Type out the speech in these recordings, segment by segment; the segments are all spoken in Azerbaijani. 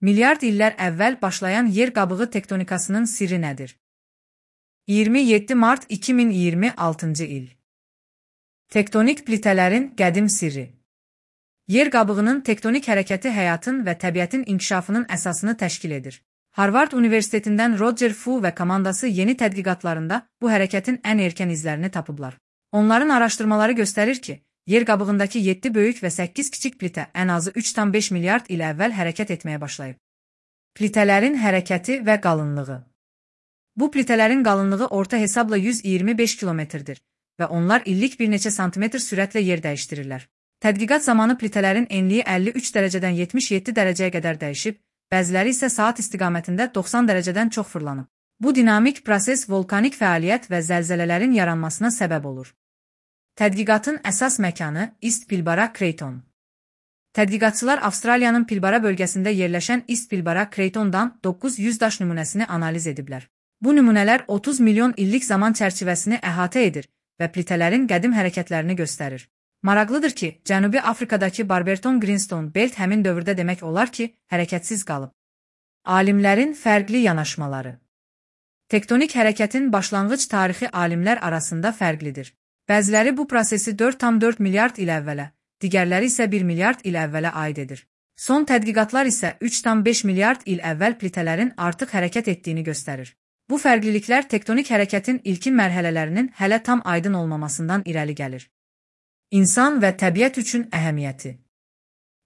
Milyard illər əvvəl başlayan yer qabığı tektonikasının sirri nədir? 27 mart 2026 il. Tektonik plitələrin qədim sirri. Yer qabığının tektonik hərəkəti həyatın və təbiətin inkişafının əsasını təşkil edir. Harvard Universitetindən Roger Fu və komandası yeni tədqiqatlarında bu hərəkətin ən erkən izlərini tapıblar. Onların araşdırmaları göstərir ki, yer qabığındakı 7 böyük və 8 kiçik plitə ən azı 3,5 milyard il əvvəl hərəkət etməyə başlayıb. Plitələrin hərəkəti və qalınlığı. Bu plitələrin qalınlığı orta hesabla 125 kilometrdir və onlar illik bir neçə santimetr sürətlə yer dəyişdirirlər. Tədqiqat zamanı plitələrin enliyi 53 dərəcədən 77 dərəcəyə qədər dəyişib, bəziləri isə saat istiqamətində 90 dərəcədən çox fırlanıb. Bu dinamik proses volkanik fəaliyyət və zəlzələlərin yaranmasına səbəb olur. Tədqiqatın əsas məkanı East Pilbara Craton. Tədqiqatçılar Avstraliyanın Pilbara bölgəsində yerləşən East Pilbara Cratondan 900 daş nümunəsini analiz ediblər. Bu nümunələr 30 milyon illik zaman çərçivəsini əhatə edir və plitələrin qədim hərəkətlərini göstərir. Maraqlıdır ki, Cənubi Afrikadakı Barberton Greenstone Belt həmin dövrdə demək olar ki, hərəkətsiz qalıb. Alimlərin fərqli yanaşmaları. Tektonik hərəkətin başlanğıc tarixi alimlər arasında fərqlidir. Bəziləri bu prosesi 4,4 milyard il əvvələ, digərləri isə 1 milyard il əvvələ aid edir. Son tədqiqatlar isə 3,5 milyard il əvvəl plitələrin artıq hərəkət etdiyini göstərir. Bu fərqliliklər tektonik hərəkətin ilkin mərhələlərinin hələ tam aydın olmamasından irəli gəlir. İnsan və təbiət üçün əhəmiyyəti.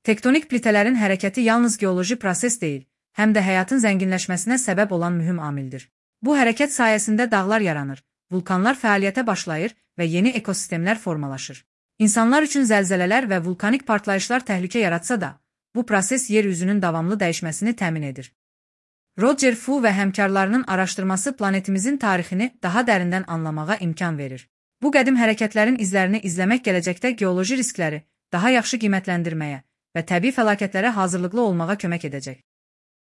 Tektonik plitələrin hərəkəti yalnız geoloji proses deyil, həm də həyatın zənginləşməsinə səbəb olan mühüm amildir. Bu hərəkət sayəsində dağlar yaranır, vulkanlar fəaliyyətə başlayır və yeni ekosistemlər formalaşır. İnsanlar üçün zəlzələlər və vulkanik partlayışlar təhlükə yaratsa da, bu proses yer üzünün davamlı dəyişməsini təmin edir. Roger Fu və həmkarlarının araşdırması planetimizin tarixini daha dərindən anlamağa imkan verir. Bu qədim hərəkətlərin izlərini izləmək gələcəkdə geoloji riskləri daha yaxşı qiymətləndirməyə və təbii fəlakətlərə hazırlıqlı olmağa kömək edəcək.